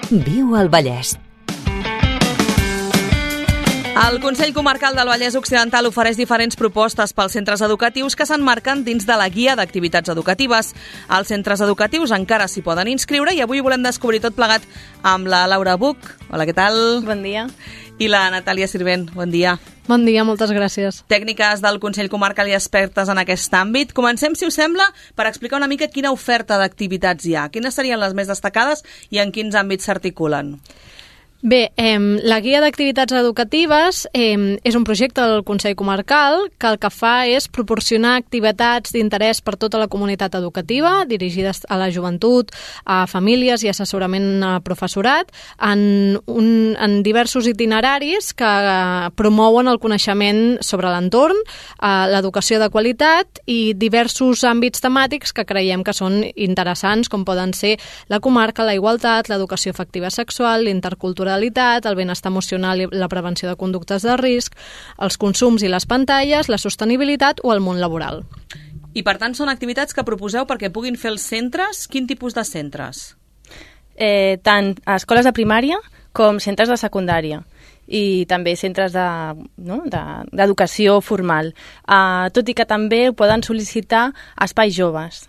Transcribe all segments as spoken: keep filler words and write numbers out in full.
Viu al Vallès. El Consell Comarcal del Vallès Occidental ofereix diferents propostes pels centres educatius que s'emmarquen dins de la guia d'activitats educatives. Els centres educatius encara s'hi poden inscriure i avui volem descobrir tot plegat amb la Laura Buch. Hola, què tal? Bon dia. I la Natàlia Sirvent. Bon dia. Bon dia, moltes gràcies. Tècniques del Consell Comarcal i expertes en aquest àmbit. Comencem, si us sembla, per explicar una mica quina oferta d'activitats hi ha. Quines serien les més destacades i en quins àmbits s'articulen? Bé, eh, la guia d'activitats educatives eh, és un projecte del Consell Comarcal que el que fa és proporcionar activitats d'interès per tota la comunitat educativa, dirigides a la joventut, a famílies i assessorament a professorat, en, un, en diversos itineraris que eh, promouen el coneixement sobre l'entorn, eh, l'educació de qualitat i diversos àmbits temàtics que creiem que són interessants, com poden ser la comarca, la igualtat, l'educació afectiva sexual, l'interculturalitat, el benestar emocional i la prevenció de conductes de risc, els consums i les pantalles, la sostenibilitat o el món laboral. I per tant són activitats que proposeu perquè puguin fer els centres? Quin tipus de centres? Eh, tant a escoles de primària com centres de secundària i també centres de, no, de, d'educació formal. Uh, tot i que també poden sol·licitar espais joves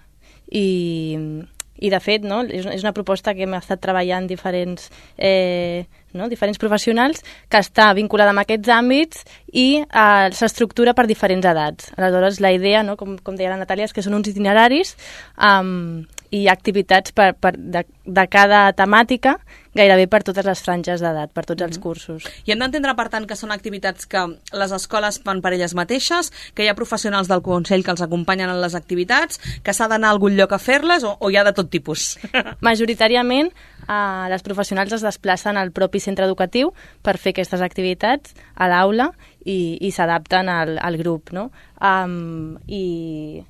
i... I, de fet, no, és una proposta que hem estat treballant diferents, eh, no, diferents professionals que està vinculada amb aquests àmbits i eh, s'estructura per diferents edats. Aleshores, la idea, no, com, com deia la Natàlia, és que són uns itineraris um, i activitats per, per de, de cada temàtica gairebé per totes les franges d'edat, per tots els cursos. I hem d'entendre, per tant, que són activitats que les escoles fan per elles mateixes, que hi ha professionals del Consell que els acompanyen en les activitats, que s'ha d'anar a algun lloc a fer-les o, o hi ha de tot tipus? Majoritàriament, eh, les professionals es desplacen al propi centre educatiu per fer aquestes activitats a l'aula i, i s'adapten al, al grup, no? Um, i,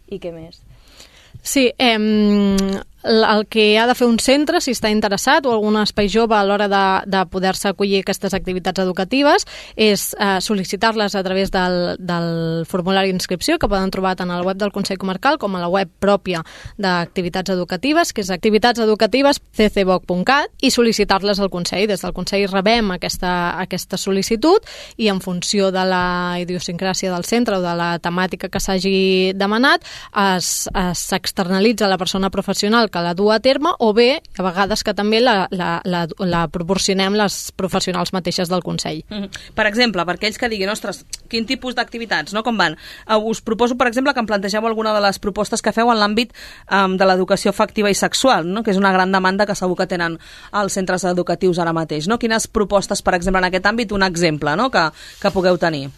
I què més? Sí, eh, el que ha de fer un centre, si està interessat, o algun espai jove a l'hora de, de poder-se acollir aquestes activitats educatives, és eh, sol·licitar-les a través del, del formulari d'inscripció que poden trobar tant al web del Consell Comarcal com a la web pròpia d'activitats educatives, que és activitatseducatives punt c c b o c punt cat, i sol·licitar-les al Consell. Des del Consell rebem aquesta, aquesta sol·licitud i en funció de la idiosincràsia del centre o de la temàtica que s'hagi demanat, s'externalitza a la persona professional que la du a terme, o bé, a vegades que també la, la, la, la proporcionem les professionals mateixes del Consell. Mm-hmm. Per exemple, per aquells que diguin, ostres, quin tipus d'activitats, no? Com van? Uh, us proposo, per exemple, que em plantegeu alguna de les propostes que feu en l'àmbit um, de l'educació afectiva i sexual, no? Que és una gran demanda que segur que tenen els centres educatius ara mateix, no? Quines propostes, per exemple, en aquest àmbit, un exemple, no? que, que pugueu tenir?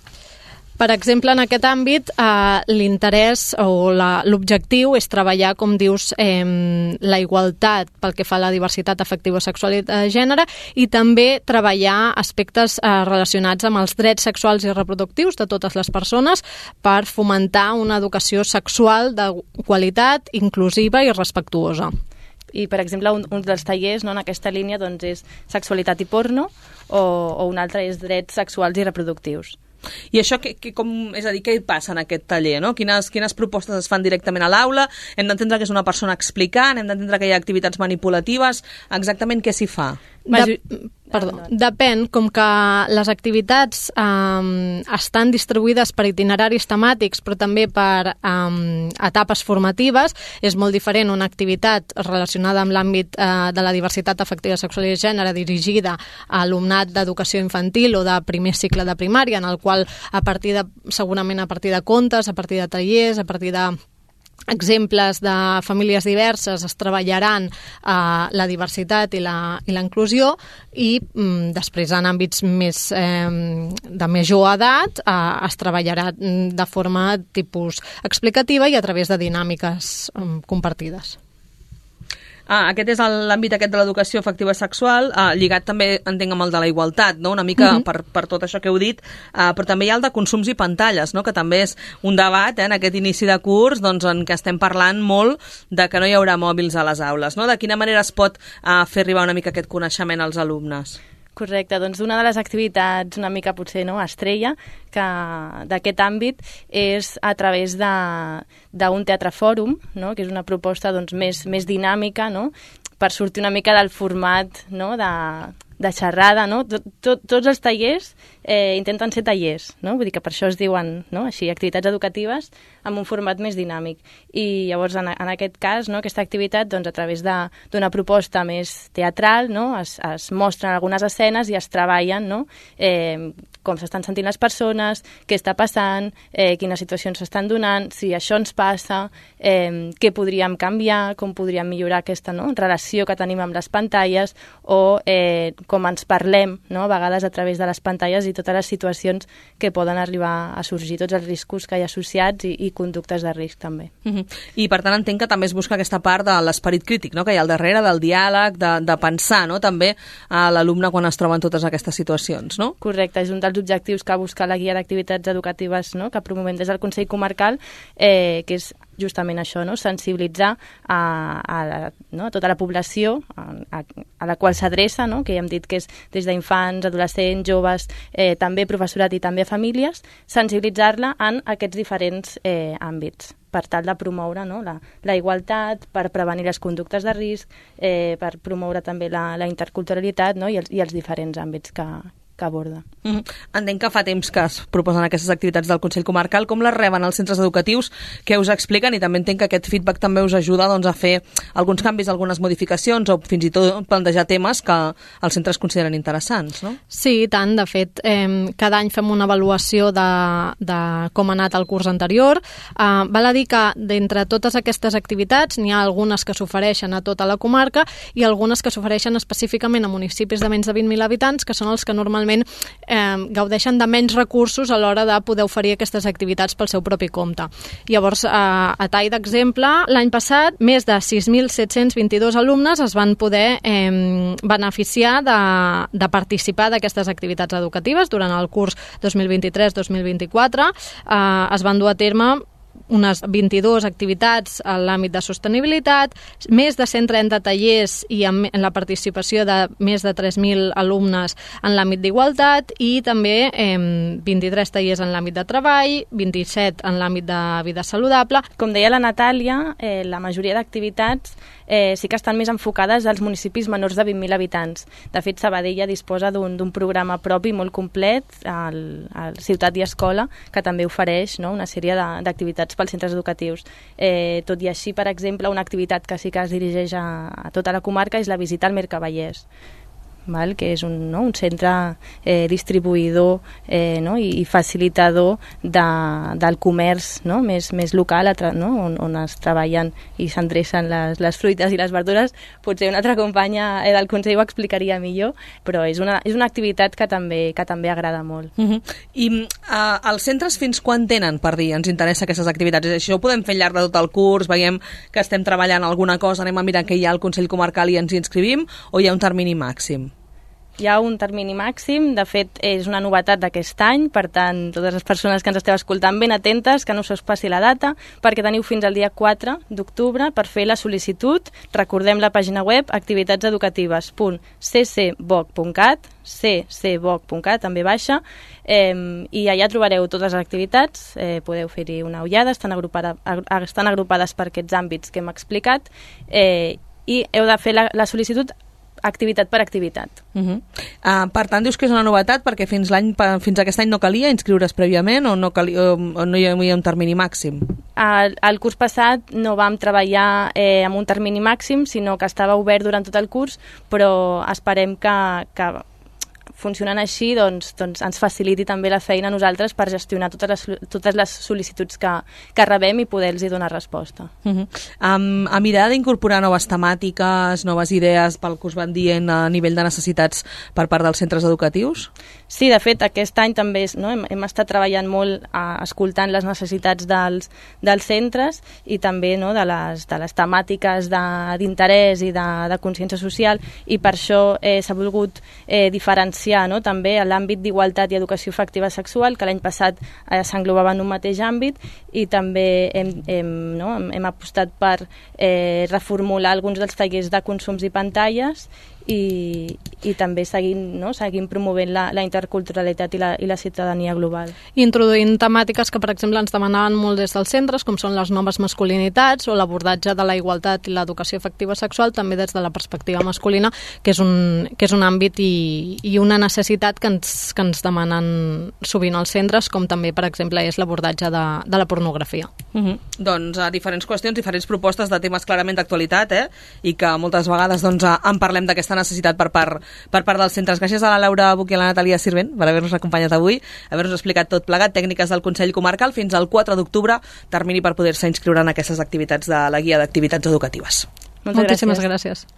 Per exemple, en aquest àmbit, eh, l'interès o la, l'objectiu és treballar, com dius, eh, la igualtat pel que fa a la diversitat afectiva sexual i de gènere, i també treballar aspectes eh, relacionats amb els drets sexuals i reproductius de totes les persones per fomentar una educació sexual de qualitat, inclusiva i respectuosa. I, per exemple, un, un dels tallers, no, en aquesta línia, doncs, és sexualitat i porno, o, o un altre és drets sexuals i reproductius. I això, que, que, com, és a dir, què hi passa en aquest taller? No? Quines, quines propostes es fan directament a l'aula? Hem d'entendre que és una persona explicant, hem d'entendre que hi ha activitats manipulatives. Exactament què s'hi fa? De, perdó, depèn, com que les activitats um, estan distribuïdes per itineraris temàtics, però també per um, etapes formatives, és molt diferent una activitat relacionada amb l'àmbit uh, de la diversitat afectiva sexual i de gènere dirigida a alumnat d'educació infantil o de primer cicle de primària, en el qual a partir de, segurament a partir de contes, a partir de tallers, a partir de exemples de famílies diverses es treballaran eh, la diversitat i la, i la inclusió i mm, després en àmbits més eh, de major edat eh, es treballarà de forma tipus explicativa i a través de dinàmiques eh, compartides. Ah, aquest és l'àmbit aquest de l'educació afectiva sexual, eh, lligat també, entenc, amb el de la igualtat, no? Una mica uh-huh. per, per tot això que heu dit, eh, però també hi ha el de consums i pantalles, no? Que també és un debat eh, en aquest inici de curs doncs, en què estem parlant molt de que no hi haurà mòbils a les aules, no? De quina manera es pot eh, fer arribar una mica aquest coneixement als alumnes? Correcte, doncs una de les activitats una mica potser no, estrella que d'aquest àmbit és a través d'un teatre fòrum, no, que és una proposta doncs, més, més dinàmica, no, per sortir una mica del format, no?, de, de xerrada, no? Tot, tot, tots els tallers eh, intenten ser tallers, no? Vull dir que per això es diuen, no?, així, activitats educatives amb un format més dinàmic. I llavors, en, en aquest cas, no?, aquesta activitat, doncs, a través d'una proposta més teatral, no?, es, es mostren algunes escenes i es treballen, no?, eh, com s'estan sentint les persones, què està passant, eh, quines situacions s'estan donant, si això ens passa, eh, què podríem canviar, com podríem millorar aquesta, no?, relació que tenim amb les pantalles, o eh, com ens parlem, no?, a vegades a través de les pantalles i totes les situacions que poden arribar a sorgir, tots els riscos que hi ha associats i, i conductes de risc també. Uh-huh. I per tant entenc que també es busca aquesta part de l'esperit crític, no?, que hi ha al darrere, del diàleg, de, de pensar, no?, també a l'alumne quan es troba en totes aquestes situacions, no? Correcte, és un dels objectius que busca la guia d'activitats educatives, no?, que promovem des del Consell Comarcal, eh, que és justament això, no?, sensibilitzar a, a, la, no?, a tota la població a, a, a la qual s'adreça, no?, que ja hem dit que és des d'infants, adolescents, joves, eh, també professorat i també famílies, sensibilitzar-la en aquests diferents eh, àmbits per tal de promoure, no?, la, la igualtat, per prevenir les conductes de risc, eh, per promoure també la, la interculturalitat, no?, i els, i els diferents àmbits que, que aborda. Mm-hmm. Entenc que fa temps que es proposen aquestes activitats del Consell Comarcal. Com les reben els centres educatius? Què us expliquen? I també entenc que aquest feedback també us ajuda, doncs, a fer alguns canvis, algunes modificacions o fins i tot plantejar temes que els centres consideren interessants, no? Sí, i tant. De fet, eh, cada any fem una avaluació de, de com ha anat el curs anterior. Eh, val a dir que d'entre totes aquestes activitats n'hi ha algunes que s'ofereixen a tota la comarca i algunes que s'ofereixen específicament a municipis de menys de vint mil habitants, que són els que normalment eh, gaudeixen de menys recursos a l'hora de poder oferir aquestes activitats pel seu propi compte. Llavors, eh, a tall d'exemple, l'any passat més de sis mil set-cents vint-i-dos alumnes es van poder eh, beneficiar de, de participar d'aquestes activitats educatives durant el curs dos mil vint-i-tres dos mil vint-i-quatre. Eh, es van dur a terme unes vint-i-dues activitats en l'àmbit de sostenibilitat, més de cent trenta tallers i amb la participació de més de tres mil alumnes en l'àmbit d'igualtat i també eh, vint-i-tres tallers en l'àmbit de treball, vint-i-set en l'àmbit de vida saludable. Com deia la Natàlia, eh, la majoria d'activitats eh, sí que estan més enfocades als municipis menors de vint mil habitants. De fet, Sabadell ja disposa d'un programa propi molt complet, al, al Ciutat i Escola, que també ofereix, no?, una sèrie d'activitats pels centres educatius. Eh, tot i així, per exemple, una activitat que sí que es dirigeix a, a tota la comarca és la visita al Mercavallès, val? Que és un, no?, un centre eh, distribuïdor eh, no?, i, i facilitador de, del comerç, no?, més, més local, no?, on, on es treballen i s'endrecen les, les fruites i les verdures. Potser una altra companya eh, del Consell ho explicaria millor, però és una, és una activitat que també, que també agrada molt. Uh-huh. I uh, els centres fins quan tenen per dir ens interessa aquestes activitats? És això ho podem fer al llarg de tot el curs, veiem que estem treballant alguna cosa, anem a mirar què hi ha al Consell Comarcal i ens hi inscrivim, o hi ha un termini màxim? Hi ha un termini màxim, de fet és una novetat d'aquest any, per tant, totes les persones que ens esteu escoltant ben atentes, que no us passi la data, perquè teniu fins al dia quatre d'octubre per fer la sol·licitud. Recordem la pàgina web activitatseducatives punt c c boc punt cat, c c boc punt cat, també baixa, eh, i allà trobareu totes les activitats, eh, podeu fer-hi una ullada, estan, agrupada, estan agrupades per aquests àmbits que hem explicat, eh, i heu de fer la, la sol·licitud activitat per activitat. Uh-huh. uh, per tant, dius que és una novetat perquè fins, l'any, fins aquest any no calia inscriure's prèviament o no, calia, o no hi havia un termini màxim? El, el curs passat no vam treballar eh, amb un termini màxim, sinó que estava obert durant tot el curs, però esperem que, que funcionant així, doncs, doncs ens faciliti també la feina a nosaltres per gestionar totes les, totes les sol·licituds que, que rebem i poder-los donar resposta. Uh-huh. um, a mirar d'incorporar noves temàtiques, noves idees pel que us van dient a nivell de necessitats per part dels centres educatius? Sí, de fet, aquest any també no, hem, hem estat treballant molt a, escoltant les necessitats dels, dels centres i també no, de, les, de les temàtiques d'interès i de, de consciència social, i per això eh, s'ha volgut eh, diferenciar no, també a l'àmbit d'igualtat i educació afectiva sexual, que l'any passat eh, s'englobava en un mateix àmbit, i també hem, hem, no, hem, hem apostat per eh, reformular alguns dels tallers de consums i pantalles i, i també seguint, no? seguint promovent la, la interculturalitat i la, i la ciutadania global. Introduint temàtiques que, per exemple, ens demanaven molt des dels centres, com són les noves masculinitats o l'abordatge de la igualtat i l'educació afectiva sexual, també des de la perspectiva masculina, que és un, que és un àmbit i, i una necessitat que ens, que ens demanen sovint els centres, com també, per exemple, és l'abordatge de, de la pornografia. Uh-huh. Doncs a diferents qüestions, diferents propostes de temes clarament d'actualitat, eh? I que moltes vegades doncs, en parlem d'aquesta necessitat per part, per part dels centres. Gràcies a la Laura Buch i a la Natàlia Sirvent per haver-nos acompanyat avui, haver-nos explicat tot plegat, tècniques del Consell Comarcal fins al quatre d'octubre, termini per poder-se inscriure en aquestes activitats de la guia d'activitats educatives. Moltes Moltíssimes gràcies. gràcies.